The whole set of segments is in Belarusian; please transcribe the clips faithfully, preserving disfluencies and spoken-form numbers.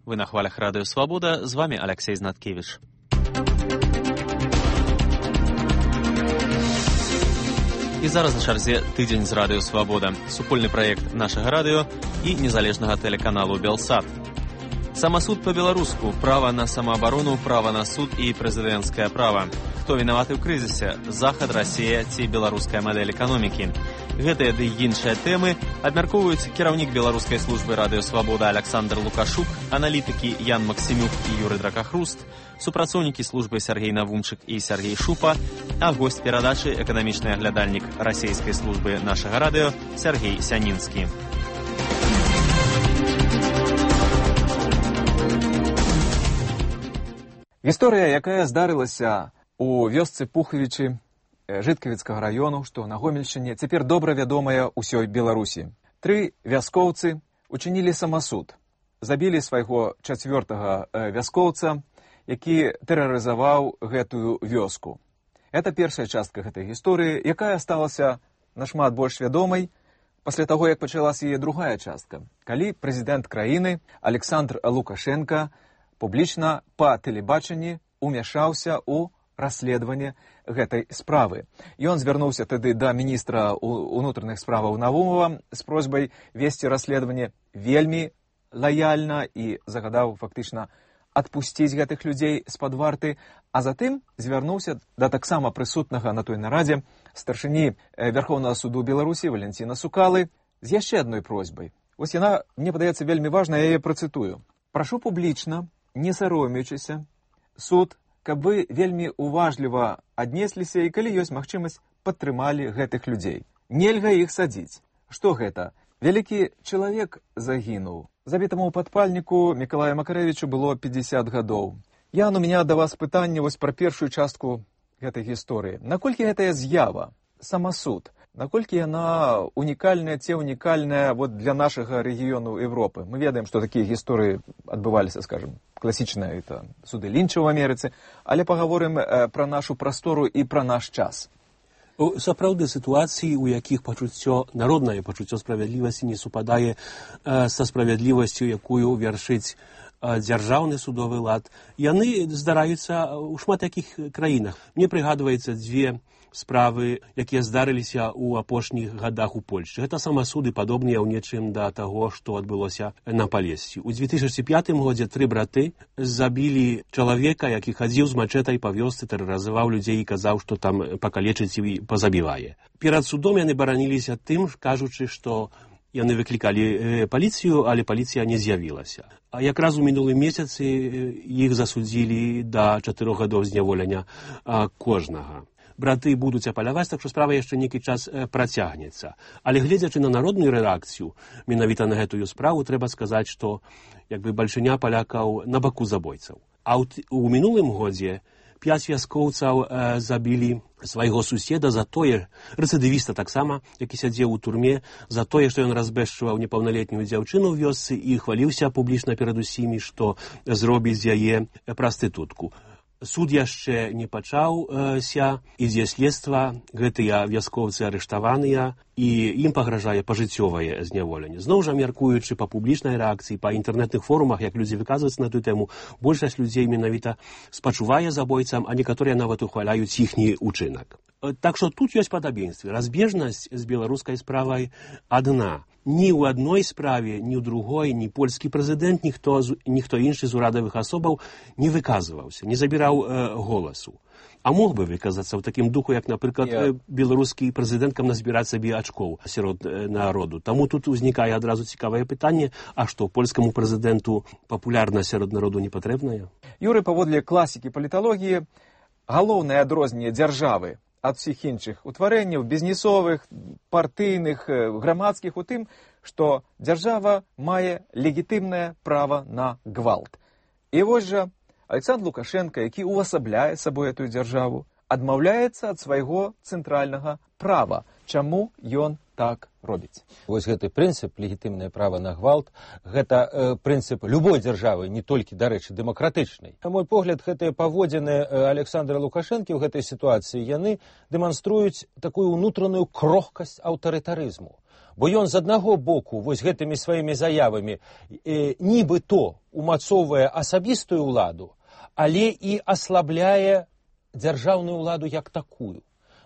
Вы на хвалях Радыё Свабода, з вами Алексей Знаткевич. І зараз на чарзе тыдзень з Радыё Свабода, супольны праект нашага радыё і незалежнага тэлеканалу Белсат. Самасуд па-беларуску, права на самаабарону, права на суд і прэзідэнцкае права. Хто вінаваты ў крызісе? Захад, Расія ці беларуская мадэль эканомікі? Гэтыя ды іншыя тэмы абмяркоўваюць кіраўнік беларускай службы Радыё Свабода Александр Лукашук, аналітыкі Ян Максімюк і Юрый Дракахруст, супрацоўнікі службы Сергей Навумчык і Сергей Шупа, а госць перадачы эканамічны аглядальнік расійскай службы нашага радыё Сергей Сянінскі. Гісторыя, якая здарылася у вёсцы Пухавічы Жыткавіцкага раёну, што на Гомельшчыне, цяпер добра вядомая ўсёй Беларусі. Тры вяскоўцы учынілі самасуд, забілі свайго чацвёртага вяскоўца, які тэрарызаваў гэтую вёску. Гэта першая частка гэтай гісторыі, якая сталася нашмат больш вядомай пасля таго, як пачалася яе другая частка, калі прэзідэнт краіны Александр Лукашенка публічна па тэлебачанні умяшаўся ў расследаванне гэтай справы. Ён звярнуўся тады да міністра ўнутраных справаў Навумова з просьбай весці расследаванне вельмі лаяльна і загадаў фактычна адпусціць гэтых людзей з-пад варты, а затым звярнуўся да таксама прысутнага на той нарадзе старшыні Вярхоўнага суду Беларусі Валянціна Сукалы з яшчэ адной просьбай. Вось яна, мне падаецца, вельмі важна, я яе працытую. Прашу публічна, не саромеючыся, суд, каб вы вельмі уважліва аднесліся і, калі ёсць магчымасць, падтрымалі гэтых людзей. Нельга іх садзіць. Што гэта? Вялікі чалавек загінуў. Забітаму падпальніку Мікалаю Макарэвічу было пятьдесят гадоў. Ян, у меня да вас пытанне вось пра першую частку гэтай гісторыі. Наколькі гэтая з'ява, самасуд, наколькі яна унікальная, ці унікальная вот для нашага рэгіёну Европы? Мы ведаем, што такія гісторыі адбываліся, скажем, класічныя, это суды Лінча ў Амерыцы, але пагаворым э, пра нашу прастору і пра наш час. Сапраўды, сітуацыі, у якіх пачуццё, народнае пачуццё справядлівасці не супадае э, са справядлівасцю, якую вяршыць э, дзяржаўны судовы лад, яны здараюцца ў шмат якіх краінах. Мне прыгадваецца дзве справы, якія здарыліся ў апошніх гадах у Польшчы. Гэта самасуды падобныя ў нечым да таго, што адбылося на Палесці. У две тысячы пятым годзе тры браты забілі чалавека, які хадзіў з мачэтай па вёсцы, тэрарызаваў людзей і казаў, што там пакалечыць і пазабівае. Перад судом яны бараніліся тым, кажучы, што яны выклікалі паліцыю, але паліцыя не з'явілася. А якраз у мінулым месяцы іх засудзілі да чатырох гадоў зняволення кожнага. Браты будуць апаляваць, так што справа яшчэ нейкі час працягнецца. Але гледзячы на народную рэакцыю менавіта на гэтую справу, трэба сказаць, што як бы бальшыня палякаў на баку забойцаў. А ў мінулым годзе пяць вяскоўцаў э, забілі свайго суседа за тое, рэцыдывіста таксама, які сядзеў у турме, за тое, што ён разбэшчваў непаўналетнюю дзяўчыну ў вёсцы і хваліўся публічна перад усімі, што зробіць з яе прастытутку. Суд яшчэ не пачаўся, ідзе следства, гэтыя вяскоўцы арыштаваныя, і ім пагражае пажыццёвае зняволенне. Зноў жа, мяркуючы па публічнай рэакцыі, па інтэрнэтных форумах, як людзі выказваюцца на тую тэму, большасць людзей менавіта спачувае забойцам, а некаторыя нават ухваляюць іхні ўчынак. Так што тут ёсць падабенствы. Разбежнасць з беларускай справай адна. Ні ў адной справе, ні ў другой, ні польскі прэзідэнт, ніхто, ніхто іншы з урадавых асобаў не выказваўся, не забіраў э, голасу. А мог бы выказацца ў такім духу, як, напрыклад, yeah. беларускі прэзідэнт, каб назбіраць сабе ачкоў сярод народу. Таму тут узнікае адразу цікавае пытанне, а што, польскаму прэзідэнту папулярнасць сярод народу не патрэбная? Юрый, паводле класікі паліталогіі, галоўнае адрозненне дзяржавы ад усіх іншых утварэнняў, бізнесовых, партыйных, грамадскіх, у тым, што дзяржава мае легітымнае права на гвалт. І вось жа Александр Лукашенко, які увасабляе сабой эту дзяржаву, адмаўляецца ад свайго цэнтральнага права Чаму ён так робіць? Вось гэты прынцып, легітымнае права на гвалт, гэта э, прынцып любой дзяржавы, не толькі, дарэчы, дэмакратычнай. На мой погляд, гэтыя паводзіны Александра Лукашэнкі ў гэтай сітуацыі, яны дэманструюць такую ўнутраную крохкасць аўтарытарызму. Бо ён з аднаго боку вось гэтымі сваімі заявамі э, нібыто умацоўвае асабістую ўладу, але і аслабляе дзяржаўную ўладу як такую.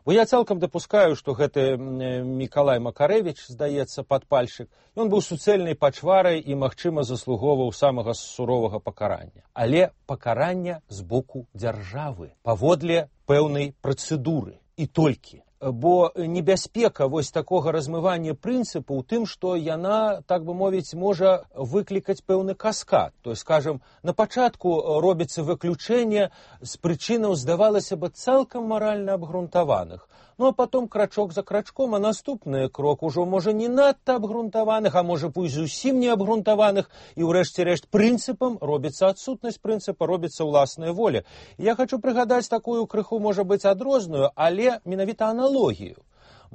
Бо я цалкам дапускаю, што гэты Мікалай Макарэвіч, здаецца, падпальшчык, ён быў суцэльнай пачварай і, магчыма, заслугоўваў самага суровага пакарання. Але пакарання з боку дзяржавы, паводле пэўнай працэдуры. І толькі. Бо небяспека вось такога размывання прынцыпу ў тым, што яна, так бы мовіць, можа выклікаць пэўны каскад. То есть, скажем, на пачатку робіцца выключэнне з прычынаў, здавалася бы, цалкам маральна абгрунтаваных. Ну, а потом крачок за крачком, а наступны крок ужо можа не надта абгрунтаваных, а можа пусть зусім не абгрунтаваных, і ўрэшце рэшт прынцыпам робіцца адсутнасць прынцыпа, робіцца ўласная воля. Я хочу прыгадаць такую крыху, можа быць, адрозную, але менавіта аналогію.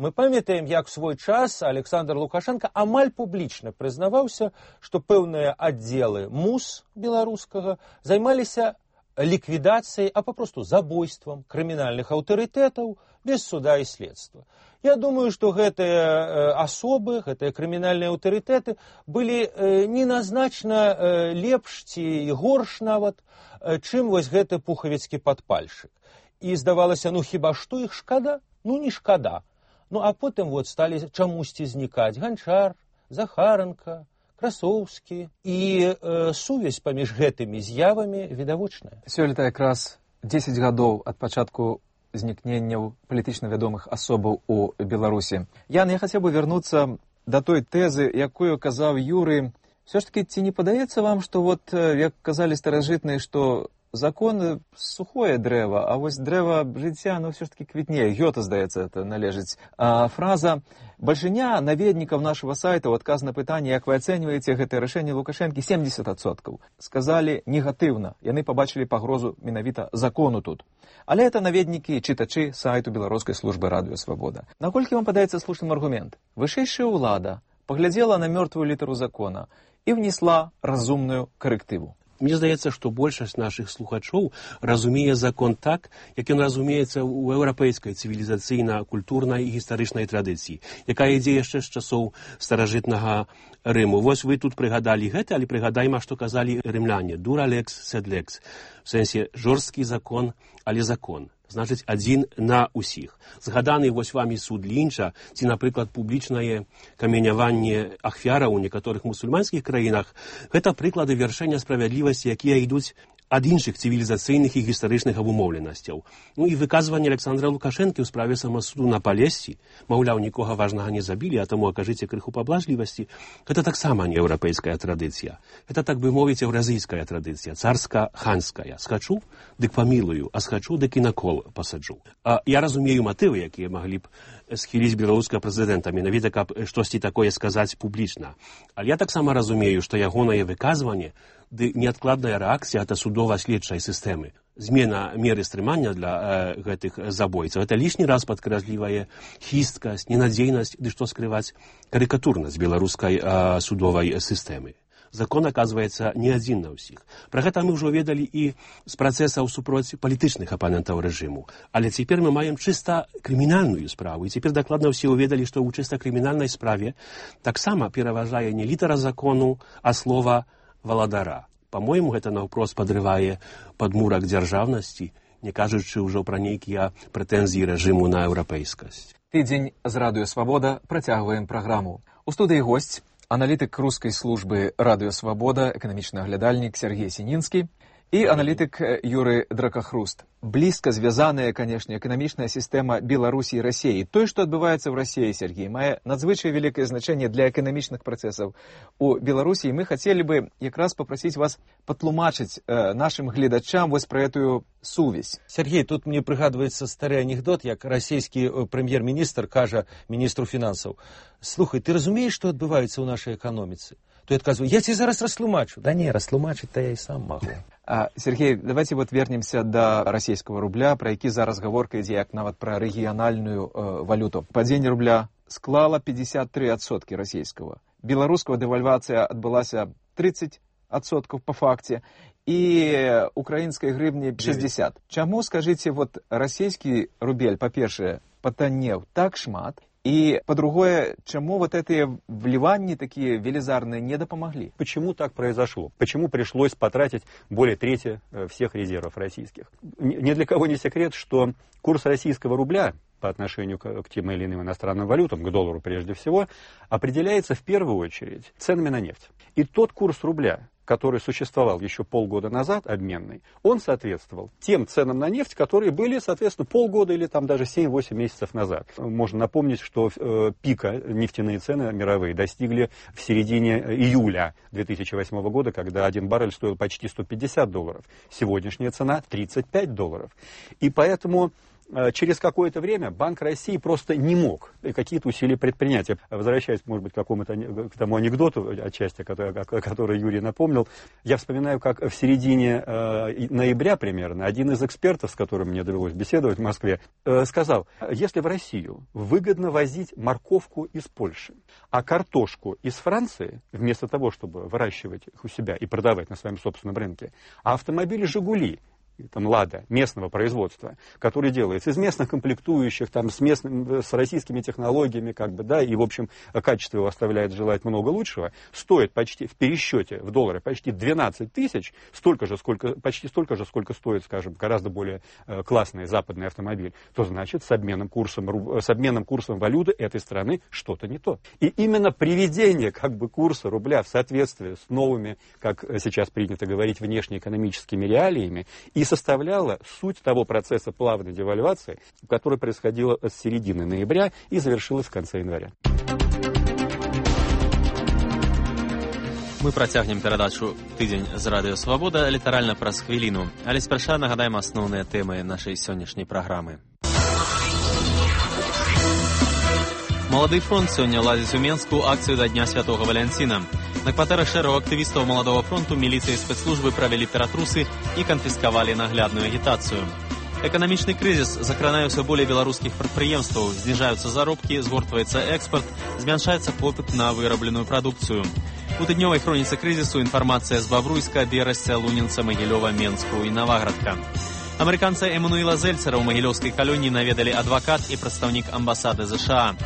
Мы памятаем, як в свой час Александр Лукашенко амаль публічна прызнаваўся, што пэўныя аддзелы МУС беларускага займаліся ліквідацыяй, а папросту забойствам крымінальных аўтарытэтаў без суда і следства. Я думаю, што гэтыя э, асобы, гэтыя крымінальныя аўтарытэты былі э, неназначна э, лепш ці горш нават, э, чым вось гэты пухавіцкі падпальшчык. І здавалася, ну хіба што іх шкада? Ну не шкада. Ну а потым вот сталі чамусьці знікаць Ганчар, Захаранка, Красоўскі, і э, сувязь паміж гэтымі з'явамі відавочная. Сёлета якраз дзесяць гадоў ад пачатку знікненняў палітычна вядомых асобаў у Беларусі. Ян, я хацеў бы вярнуцца да той тэзы, якую казаў Юры. Все ж таки, ці не падаецца вам, што вот, як казалі старажытныя, што закон сухое дрэва, а вось дрэва жыцця, ну, все ж таки квітнее. Гёта, здаецца, это належыць. А фраза «Большиня наведников нашего сайта» ў адказ на пытанне, як вы ацэньваеце гэтае рашэнне Лукашэнкі, семьдесят адсоткаў. Сказалі негатыўна. Яны пабачылі пагрозу менавіта закону тут. Але это наведнікі, чытачы сайту Беларускай службы радыё Свабода. Наколькі вам падаецца слушным аргумент? Вышэйшая ўлада паглядзела на мёртвую літару закона і внесла разумную карэктыву. Мне здаецца, што большасць нашых слухачоў разумее закон так, як ён разумеецца ў еўрапейскай цывілізацыйна-культурнай і гістарычнай традыцыі, якая ідзе яшчэ з часоў старажытнага Рыму. Вось вы тут прыгадалі гэта, але прыгадайма, што казалі рымляне. Дура лекс, сед лекс. В сэнсе жорсткі закон, але закон. Значыць, адзін на ўсіх. Згаданы вось вамі суд Лінча, ці, напрыклад, публічнае каменяванне ахвяраў у некаторых мусульманскіх краінах, гэта прыклады вяршэння справядлівасці, якія ідуць ад іншых цывілізацыйных і гістарычных абумоўленасцяў. Ну і выказванне Александра Лукашэнкі ў справе самасуду на Палесці, маўляў, нікога важнага не забілі, а таму акажыце крыху паблажлівасці, гэта таксама не еўрапейская традыцыя. Гэта, так бы мовіць, еўразійская традыцыя, царска-ханская. Схачу, дык памілую, а схачу, дык і на кол пасаджу. А я разумею матывы, якія маглі б схіліць беларускага прэзідэнта, менавіта, каб штосьці такое сказаць публічна. Але я таксама разумею, што ягонае выказванне ды неадкладная рэакцыя ад судова-следчай сістэмы. Змена меры стрымання для э, гэтых забойцаў. Это лішні раз падкрэслівае хісткасць, ненадзейнасць, ды што скрываць карыкатурнасць беларускай э, судовай сістэмы. Закон, аказваецца, не адзін на ўсіх. Пра гэта мы ўжо ведалі і з працэсаў супроць палітычных апанентаў рэжыму. Але цяпер мы маем чыста крымінальную справу. І цяпер дакладна ўсе ўведалі, што ў чыста крымінальнай справе таксама пераважае не літара закону, а слова валадара. Па-мойму, гэта наўпрост падрывае падмурак дзяржаўнасці, не кажучы ўжо пра нейкія прэтэнзіі рэжыму на еўрапейскасць. Тыдзень з радыё Свабода працягваем праграму. У студыі госць, аналітык рускай службы радыё Свабода, эканамічны аглядальнік Сергей Сінінскі і аналітык Юры Дракахруст. Блізка звязаная, канешне, эканамічная сістэма Беларусі і Расіі. Тое, што адбываецца ў Расіі, Сергей, мае надзвычай вялікае значэнне для эканамічных працэсаў у Беларусі. І мы хацелі бы якраз папрасіць вас патлумачыць э, нашым гледачам вось пра этую сувязь. Сергей, тут мне прыгадваецца стары анекдот, як расійскі прэм'ер-міністр кажа міністру фінансаў: «Слухай, ты разумееш, што адбываецца ў нашай эканоміцы? то я адказваю: я тебе зараз растлумачу. Да не, растлумачыць-то я і сам магу. А, Сергей, давайте вот вернемся до российского рубля, про які зараз гаворка ідзе як нават про рэгіянальную э, валюту. Падзенне рубля склала пятьдесят три процента российского. Белорусского девальвация отбылася тридцать процентов по факте, и украинской гривни шестьдесят. Чему, скажите, вот российский рубель, по-перше, потонел так шмат, и, по-другое, чему вот эти вливания такие велизарные не допомогли? Почему так произошло? Почему пришлось потратить более трети всех резервов российских? Ни для кого не секрет, что курс российского рубля по отношению к, к тем или иным иностранным валютам, к доллару прежде всего, определяется в первую очередь ценами на нефть. И тот курс рубля, который существовал еще полгода назад, обменный, он соответствовал тем ценам на нефть, которые были, соответственно, полгода или там даже семь-восемь месяцев назад. Можно напомнить, что э, пика нефтяные цены мировые достигли в середине июля две тысячи восьмого года, когда один баррель стоил почти сто пятьдесят долларов. Сегодняшняя цена тридцать пять долларов. И поэтому через какое-то время Банк России просто не мог какие-то усилия предпринять. Возвращаясь, может быть, к какому-то к тому анекдоту, отчасти, который, который Юрий напомнил, я вспоминаю, как в середине э, ноября примерно один из экспертов, с которым мне довелось беседовать в Москве, э, сказал: если в Россию выгодно возить морковку из Польши, а картошку из Франции, вместо того, чтобы выращивать их у себя и продавать на своем собственном рынке, а автомобили «Жигули», там «Лада» местного производства, который делается из местных комплектующих, там, с, местным, с российскими технологиями, как бы, да, и, в общем, качество его оставляет желать много лучшего, стоит почти в пересчете в доллары почти двенадцать тысяч, столько же, сколько, почти столько же, сколько стоит, скажем, гораздо более э, классный западный автомобиль, то значит с обменным курсом, с обменным курсом валюты этой страны что-то не то. И именно приведение, как бы, курса рубля в соответствии с новыми, как сейчас принято говорить, внешнеэкономическими реалиями и составляла суть того процесса плавной девальвации, который происходила с середины ноября и завершилась в конце января. Мы працягнем перадачу «Тыдзень з Радыё Свабода» літаральна праз хвіліну, але спярша нагадаем асноўныя тэмы нашай сённяшняй праграмы. Малады фронт сёння ладзіць у Менску акцыю да Дня Святога Валянціна. На кватэрах шэрагу актывістаў Маладого фронту міліцыя і спецслужбы правялі ператрусы і канфіскавалі наглядную агітацыю. Эканамічны крызіс закранае ўсё болей беларускіх прадпрыемстваў, зніжаюцца заробкі, згортваецца экспарт, змяншаецца попыт на вырабленую прадукцыю. У тыднёвай хроніцы крызісу інфармацыя з Бавруйска, Берасця, Лунінца, Магілёва, Менску і Наваградка. Амерыканца Эмануэла Зельцера ў магілёўскай калоніі наведалі адвакат і прадстаўнік амбасады ЗША.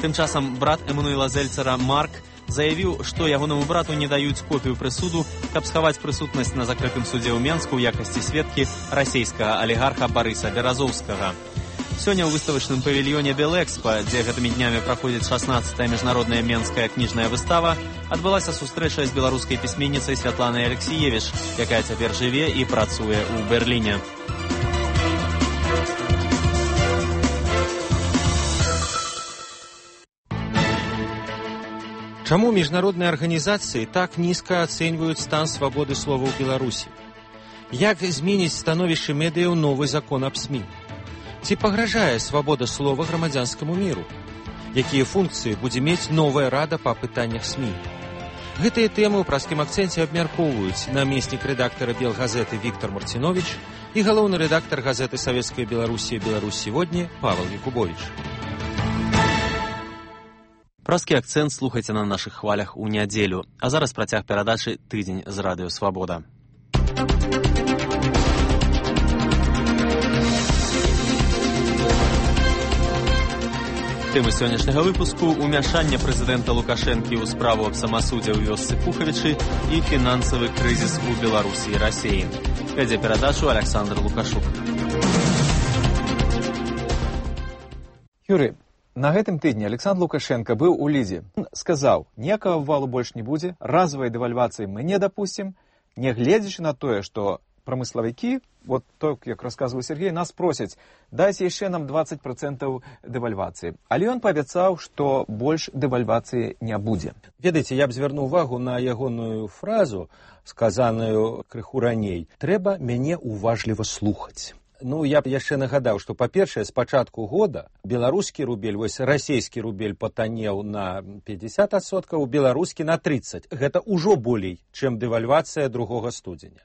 Тым часам брат Эмануэла Зельцера Марк заявіў, што ягонаму брату не даюць копію прысуду, каб схаваць прысутнасць на закрытым судзе ў Менску ў якасці сведкі расійскага алігарха Барыса Беразоўскага. Сёння ў выставачным павільёне Белэкспа, дзе гэтымі днямі праходзіць шаснаццатая міжнародная менская кніжная выстава, адбылася сустрэча з беларускай пісьменніцай Святланай Алексіевіч, якая цяпер жыве і працуе ў Берліне. Чаму міжнародныя арганізацыі так нізка ацэньваюць стан свабоды слова ў Беларусі? Як зменіць становішча медыяў новы закон аб СМІ? Ці пагражае свабода слова грамадзянскаму міру? Якія функцыі будзе мець новая рада па пытаннях СМІ? Гэтыя тэмы ў праскім акцэнце абмяркоўваюць намеснік рэдактара Белгазеты Віктор Марціновіч і галоўны рэдактар газеты «Савецкая Беларусія» «Беларусь сегодня» Павел Якубович. Праскі акцэнт слухайце на нашых хвалях у нядзелю. А зараз працяг перадачы «Тыдзень з Радыё Свабода». Тэмы сённяшняга выпуску – умяшанне прэзідэнта Лукашэнкі ў справу аб самасудзе ў вёсцы Пухавічы і фінансавы крызіс у Беларусі і Расіі. Вядзе перадачу Александр Лукашук. Юрий, на гэтым тыдні Александр Лукашенко быў у Лідзе. Он сказаў, ніякага валу больш не будзе, разовай дэвальвацыі мы не дапусцім, нягледзячы на тое, што прамыславікі, вот так, як расказваў Сергей, нас просяць, дайце яшчэ нам двадцать процентов дэвальвацыі. Але ён паабяцаў, што больш дэвальвацыі не будзе. Ведаеце, я б звярнуў увагу на ягоную фразу, сказаную крыху раней. Трэба мяне уважліва слухаць. Ну, я б яшчэ нагадаў, што, па-першае, з пачатку года беларускі рубель, вось расійскі рубель патанеў на пятьдесят адсоткаў, беларускі на тридцать. Гэта ўжо болей, чым дэвальвацыя другога студзеня.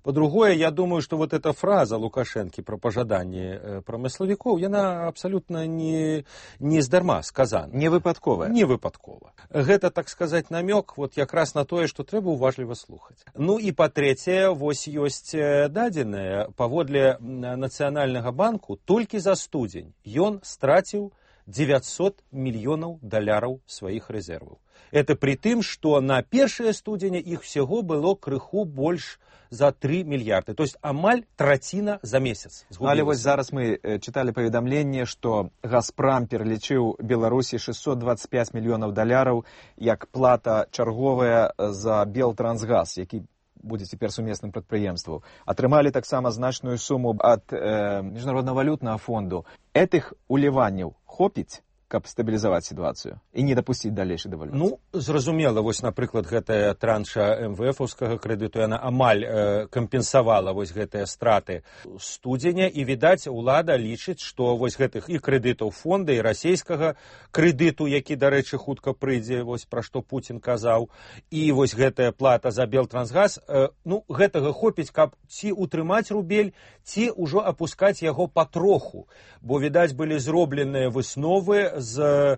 По-другое, я думаю, что вот эта фраза Лукашенко про пожаданне промысловиков, яна абсолютно не, не здарма сказана. Не выпадковая. Не выпадкова. Гэта, так сказать, намек вот якраз на тое, что трэба уважліва слухаць. Ну и по-трэцяе, вось ёсць дадзеныя, паводле Нацыянальнага банку, толькі за студзень ён страціў девятьсот мільёнаў даляраў сваіх рэзерваў. Это при тым, что на першае студзеня іх всего было крыху больш за три мільярды. То есть амаль траціна за месяц. Але вось зараз мы читали паведамленне, што Газпрам пералічыў Беларусі шестьсот двадцать пять мільёнаў даляраў як плата чарговая за Белтрансгаз, які будзе цяпер сумесным прадпрыемствам. Атрымалі таксама значную суму ад э, Міжнароднага валютнага фонду. Этых уліванняў хопіць, каб стабілізаваць сітуацыю і не дапусціць далейшай дэвальвацыі? Ну, зразумела, вось, напрыклад, гэтая транша эм вэ эфаўскага крэдыту, яна амаль э, кампенсавала вось гэтыя страты студзеня, і, відаць, улада лічыць, што вось гэтых і крэдытаў фонда, і расійскага крэдыту, які, дарэчы, хутка прыйдзе, вось пра што Путін казаў, і вось гэтая плата за Белтрансгаз, э, ну, гэтага хопіць, каб ці утрымаць рубель, ці ўжо апускаць яго патроху, бо, відаць, былі зробленыя высновы з,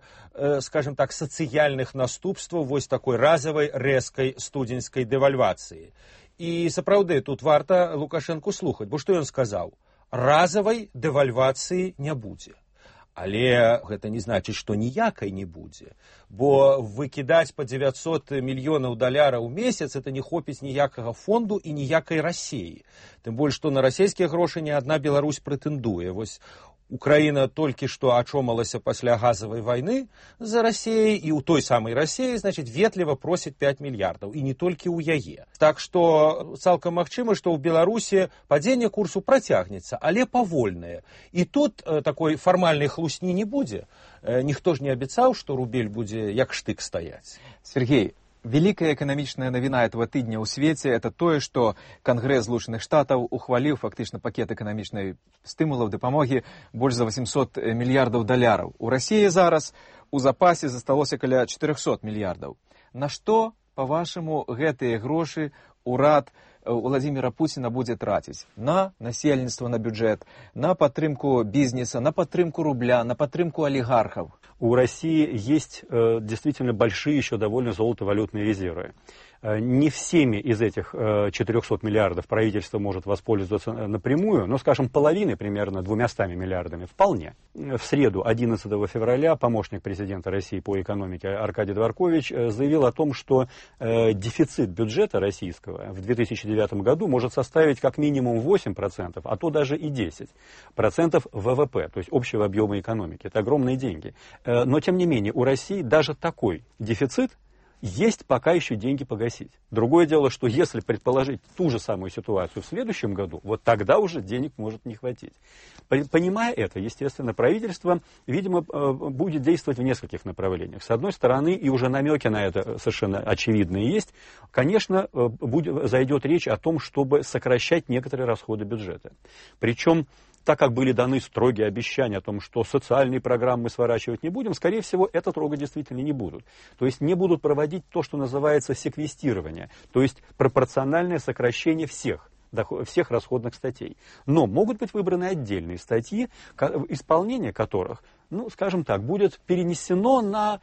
скажем так, сацыяльных наступстваў вось такой разавай рэзкай студзеньскай дэвальвацыі. І сапраўды тут варта Лукашенку слухаць, бо што ён сказаў? Разавай дэвальвацыі не будзе. Але гэта не значыць, што ніякай не будзе, бо выкідаць па девятьсот мільёнаў даляраў у месяц это не хопіць ніякага фонду і ніякай Расіі. Тым больш, што на расійскія грошы ні адна Беларусь прэтэндуе. Вось Украина только что очомалася пасля газовой войны за Россией, и у той самой России, значит, ветліва просит пять миллиардов, и не только у яе. Так что цалкам магчыма, что в Беларуси падение курсу протягнется, але павольнае. И тут э, такой формальной хлусні не будзе. Э, ніхто ж не обещал, что рубель будзе як штык стоять. Сергей, великая экономичная новина этого тыдня ў свеце – это тое, што Конгрэс Злучаных Штатаў ухваліў фактычна пакет эканамічнай стымулаў дапамогі больш за восемьсот мільярдаў даляраў. У Расіі зараз у запасе засталося каля четырёхсот мільярдаў. На што, па-вашаму, гэтыя грошы урад Владимира Путина будзе траціць? На насельніцтва, на бюджет, на падтрымку бізнеса, на падтрымку рубля, на падтрымку олигархов? У России есть э, действительно большие еще довольно золотовалютные резервы. Э, не всеми из этих э, четырёхсот миллиардов правительство может воспользоваться напрямую, но, скажем, половиной, примерно двумястами миллиардами, вполне. В среду, одиннадцатого февраля, помощник президента России по экономике Аркадий Дворкович э, заявил о том, что э, дефицит бюджета российского в две тысячи девятом году может составить как минимум восемь процентов, а то даже и десять процентов вэ вэ пэ, то есть общего объема экономики. Это огромные деньги. Но, тем не менее, у России даже такой дефицит есть пока еще деньги погасить. Другое дело, что если предположить ту же самую ситуацию в следующем году, вот тогда уже денег может не хватить. Понимая это, естественно, правительство, видимо, будет действовать в нескольких направлениях. С одной стороны, и уже намеки на это совершенно очевидные есть, конечно, будет, зайдет речь о том, чтобы сокращать некоторые расходы бюджета. Причем, так как были даны строгие обещания о том, что социальные программы сворачивать не будем, скорее всего, это трогать действительно не будут. То есть не будут проводить то, что называется секвестирование, то есть пропорциональное сокращение всех, всех расходных статей. Но могут быть выбраны отдельные статьи, исполнение которых, ну, скажем так, будет перенесено на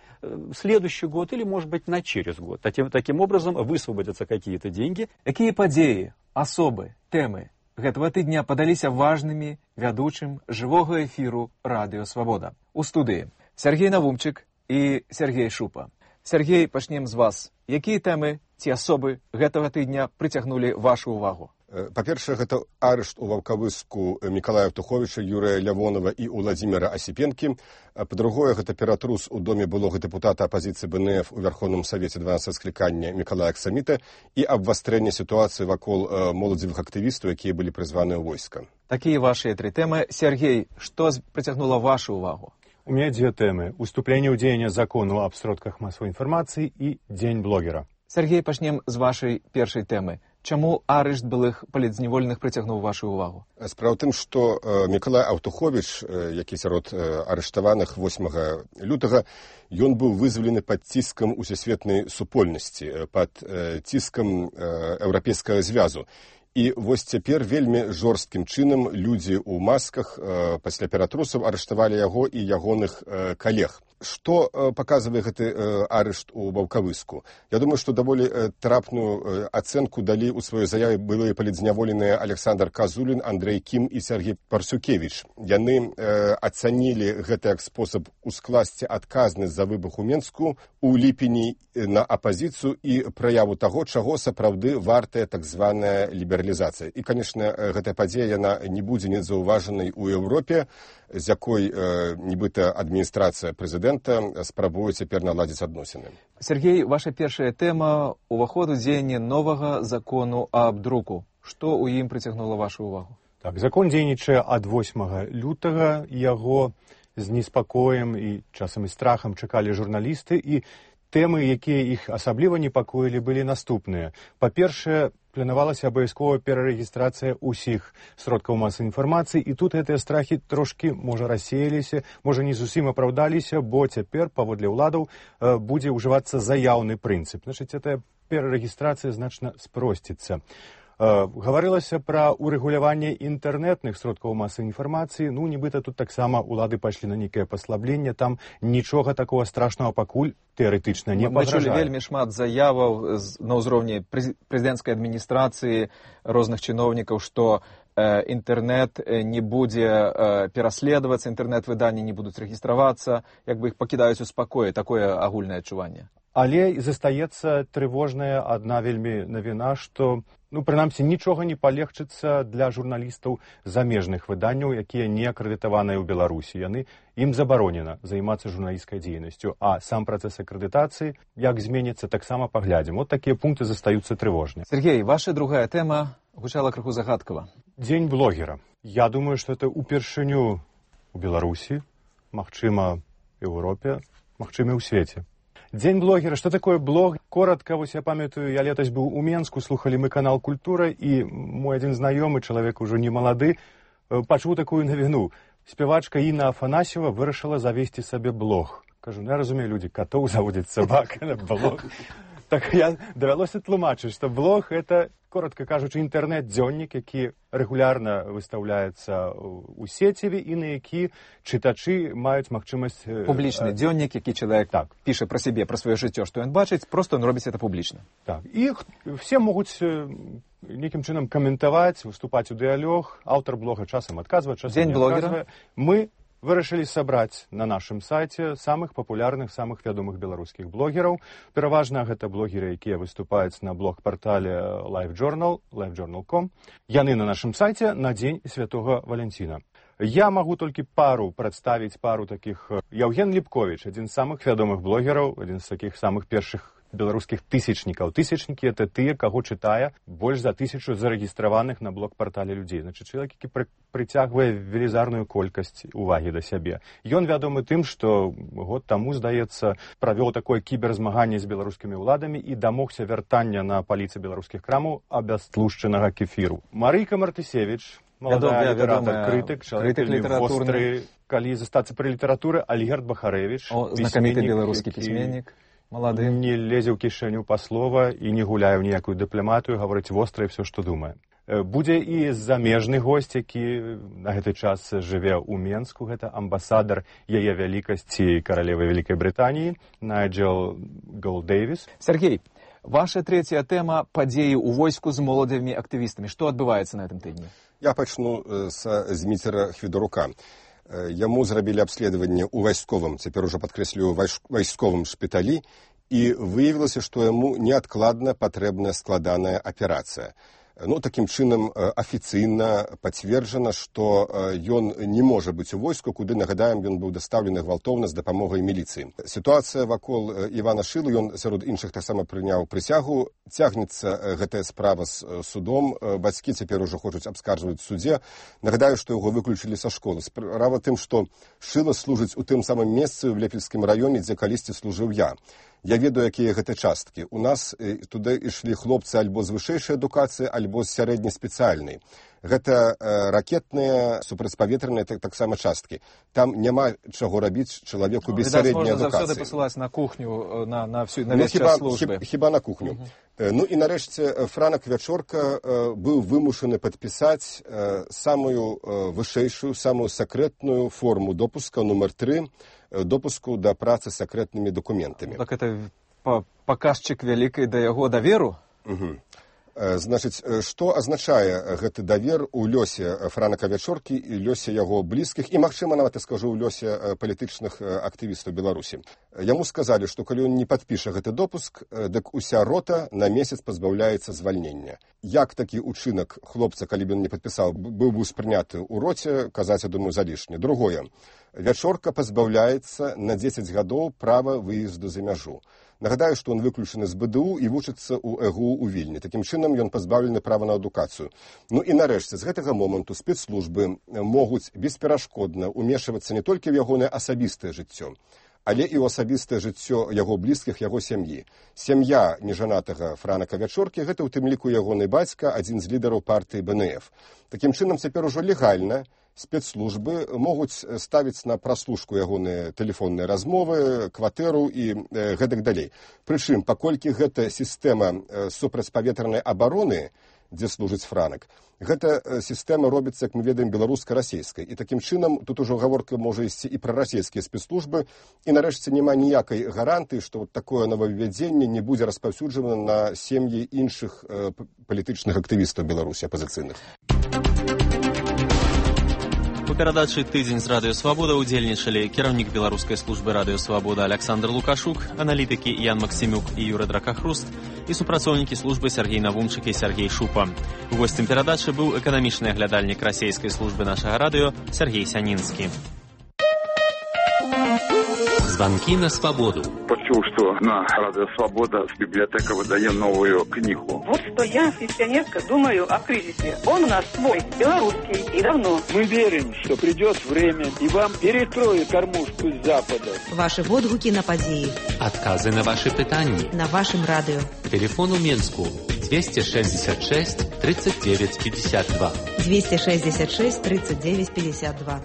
следующий год или, может быть, на через год. Таким, таким образом высвободятся какие-то деньги. Какие подеи, особы, темы гэтага тыдня падаліся важнымі вядучым жывога эфіру Радыё Свабода? У студыі Сергей Навумчык і Сергей Шупа. Сергей, пачнем з вас. Якія тэмы ці асобы гэтага тыдня прыцягнулі вашу ўвагу? Па-першае, гэта арышт у Ваўкавыску Мікалая Птуховіча, Юрыя Лявонова і Уладзіміра Асіпенкі. Па-другое, гэта ператрус у доме былога дэпутата апазіцыі бэ эн эф у Вярхоўным Савеце дванадцатага склікання Мікалая Аксаміта і абвастрэнне сітуацыі вакол моладзевых актывістаў, якія былі прызваныя ў войска. Такія вашыя тры тэмы. Сергей, што прыцягнула вашу ўвагу? У меня две темы. Уступление у дзеяння закону об сродках массовой информации и День блогера. Сергей, пачнем з вашай першай тэмы. Чаму арышт былых палітзняволеных прыцягнуў вашу ўвагу? Справа ў тым, што Мікалай Аўтуховіч, які сярод арыштаваных восьмага лютага, ён быў вызвалены пад ціскам усесветнай супольнасці, пад ціскам еўрапейскага звязу. І вось цяпер вельмі жорсткім чынам людзі ў масках пасля ператрусаў арыштавалі яго і ягоных калег. Што паказвае гэты арышт у Ваўкавыску? Я думаю, што даволі трапную ацэнку далі ў сваёй заяве былыя палітзняволеныя Александр Казулін, Андрэй Кім і Сергей Парсюкевіч. Яны ацанілі гэта як спосаб ускласці адказнасць за выбух у Менску у ліпені на апазіцыю і праяву таго, чаго сапраўды вартая так званая лібералізацыя. І, канешне, гэтая падзея яна не будзе незаўважанай у Еўропе, з якой нібыта адміністрацыя прэзідэнта спрабуе цяпер наладзіць адносіны. Сергей, ваша першая тэма – уваход у дзеянне новага закону аб друку. Што ў ім прыцягнула вашу ўвагу? Так, закон дзейнічае ад восьмага лютага, яго з неспакоем і часам і страхам чакалі журналісты, і тэмы, якія іх асабліва непакоілі, былі наступныя. Па-першае, планавалася абавязковая перарэгістрацыя ўсіх сродкаў масавай інфармацыі, і тут гэтыя страхі трошкі, можа, рассеяліся, можа, не зусім апраўдаліся, бо цяпер, паводле ўладаў, будзе ўжывацца заяўны прынцып. Значыць, гэтая перарэгістрацыя значна спросціцца. Гаварылася пра урэгуляванне інтэрнэтных сродкаў масавай інфармацыі. Ну, нібыта тут таксама ўлады пайшлі на нейкае паслабленне. Там нічога такого страшнага пакуль тэарэтычна не пагражае. Мы чулі вельмі шмат заяваў на ўзроўні прэзідэнцкай адміністрацыі, розных чыноўнікаў, што інтэрнэт не будзе пераследавацца, інтэрнэт-выданні не будуць рэгістравацца, як бы іх пакідаюць у спакоі. Такое агульнае адчуванне. Але застаецца трывожная адна вельмі навіна, што, ну, прынамсі, нічога не палегчыцца для журналістаў замежных выданняў, якія не акрэдытаваныя ў Беларусі. Яны, ім забаронена займацца журналісцкай дзейнасцю, а сам працэс акрэдытацыі, як зменіцца, таксама паглядзім. Вот такія пункты застаюцца трывожныя. Сергей, ваша другая тэма гучала крыху загадкава. Дзень блогера. Я думаю, што это упершыню ў Беларусі, магчыма, Еўропе, магчыма, ў свеце. Дзень блогера. Што такое блог? Коротка, вось я памятаю, я летась быў у Менску, слухалі мы канал «Культура», і мой адзін знаёмы, чалавек ужо не малады, пачуў такую навіну. Спявачка Інна Афанасьева вырашыла завесці сабе блог. Кажу, ну я разумею, людзі катоў заводзяць сабак на блог. Так я давялося тлумачыць, што блог – это, коротка кажучы, інтэрнэт-дзённік, які рэгулярна выстаўляецца ў сеціве і на які чытачы маюць магчымасць... Публічны дзённік, які чалавек так піша пра сябе, пра сваё жыццё, што ён бачыць, проста ён робіць это публічна. Так, і все могуць нейкім чынам каментаваць, выступаць у дыялог, аўтар блога часам адказвае, часам Дзень не адказвае. Мы вырашылі сабраць на нашым сайце самых папулярных, самых вядомых беларускіх блогераў. Пераважна гэта блогеры, якія выступаюць на блог-партале LiveJournal, live journal dot com. Яны на нашым сайце на дзень Святога Валянціна. Я магу толькі пару прадставіць пару такіх. Яўген Ліпковіч, адзін з самых вядомых блогераў, адзін з такіх самых першых беларускіх тысячнікаў. Тысячнікі – это тыя, каго чытае больш за тысячу зарэгістраваных на блог-партале людзей. Значыць, чалавек, які пры, прыцягвае велізарную колькасць увагі да сябе. Ён вядомы тым, што год таму, здаецца, правёў такое кіберзмаганне з беларускімі ўладамі і дамогся вяртання на паліцы беларускіх крамаў абястлушчанага кефіру. Марыйка Мартысевіч, маладая літаратар, крытык, чалавек востры, калі застацца пры літаратуры, Альгерд Бахарэвіч, знакаміты беларускі пісьменнік. Малады. Не лезе ў кішэню па слова і не гуляе ў ніякую дыпламатыю, гаворыць востра і все, што думае. Будзе і замежны госць, які на гэты час жыве ў Менску, гэта амбасадар яе вялікасці каралевы Вялікай Брытаніі, Найджел Голдэйвіс. Сергей, ваша третья тэма – падзеі ў войску з моладзевымі актывістамі. Што адбываецца на гэтым тыдні? Я пачну з Зміцера Хвідарука. Яму зрабілі абследаванне ў вайсковым, цяпер ужо падкрэслюю, вайсковым шпіталі, і выявілася, што яму неадкладна патрэбная складаная аперацыя. Ну, такім чынам, афіцыйна пацверджана, што ён не можа быць у войску, куды, нагадаем, ён быў дастаўлены гвалтоўна з дапамогай міліцыі. Сітуацыя вакол Івана Шылы, ён сярод іншых таксама прыняў прысягу. Цягнецца гэтая справа з судом. Бацькі цяпер ужо хочуць абскарджваць в судзе. Нагадаю, што яго выключылі са школы. Справа тым, што Шыла служыць у тым самым месцы ў Лепельскім раёне, дзе калісьці служыў я. Я ведаю, якія гэта часткі. У нас туды ішлі хлопцы альбо з вышэйшай адукацыі, альбо з сярэдняй спецыяльнай. Гэта э, ракетныя, супрацьпаветраныя так, таксама часткі. Там няма чаго рабіць чалавеку без сярэдняй адукацыі. Можна заўсёды пасылаць на кухню, на, на, всю, на ну, весь хіба, час службы. Хіба, хіба на кухню. Uh-huh. Ну і нарэшце Франак Вячорка э, быў вымушаны падпісаць э, самую э, вышэйшую, самую сакрэтную форму допуска, нумар тры, э, допуску да працы з сакрэтнымі дакументамі. Так это паказчык вялікай да яго даверу? Угу. Значыць, што азначае гэты давер у лёсе Франака Вячоркі і лёсе яго блізкіх, і, магчыма, нават я скажу, у лёсе палітычных актывістаў Беларусі. Яму сказалі, што калі ён не падпіша гэты допуск, дык уся рота на месяц пазбаўляецца звальнення. Як такі ўчынак хлопца, калі б ён не падпісаў, быў бы спрыняты ў роце, казаць, я думаю, залішне. Другое. Вячорка пазбаўляецца на дзесяць гадоў права выезду за мяжу. Нагадаю, што ён выключаны з бэ дэ у і вучыцца ў э гэ у ў Вільні. Такім чынам ён пазбаўлены права на адукацыю. Ну і нарэшце, з гэтага моманту спецслужбы могуць бесперашкодна ўмешвацца не толькі ў ягонае асабістае жыццё, але і ў асабістае жыццё яго блізкіх, яго сям'і. Сям'я нежанатага Франака Вячоркі – гэта ў тым ліку ягоны бацька, адзін з лідараў партыі бэ эн эф. Такім чынам, цяпер ужо легальна спецслужбы могуць ставіць на праслушку ягоныя тэлефонныя размовы, кватэру і э, гэтак далей. Прычым, паколькі гэта сістэма э, супрацьпаветранай абароны, дзе служыць Франак, гэта э, сістэма робіцца, як мы ведаем, беларуска-расейскай. І такім чынам, тут ужо гаворка можа ісці і пра расійскія спецслужбы, і нарэшце няма ніякай гарантыі, што вот такое новаввядзенне не будзе распаўсюджана на сем'і іншых э, палітычных актывістаў Беларусі, апазіцыйных. У перадачы «Тыдзень з Радыё Свабода» удзельнічалі кіраўнік беларускай службы Радыё Свабода Александр Лукашук, аналітыкі Ян Максімюк і Юры Дракахруст і супрацоўнікі службы Сергей Навумчык і Сергей Шупа. Госцем перадачы быў эканамічны аглядальнік расейскай службы нашага радыё Сергей Сянінскі. Звонки на свободу. Почув, что на Радио Свобода библиотека выдает новую книгу. Вот что я, пенсионерка, думаю о кризисе. Он у нас свой, белорусский, и давно. Мы верим, что придет время, и вам перекроют кормушку с запада. Ваши водгуки на події. Отказы на ваши питания. На вашем радио. Телефон у Минску двести шестьдесят шесть тридцать девять пятьдесят два. двести шестьдесят шесть тридцать девять пятьдесят два.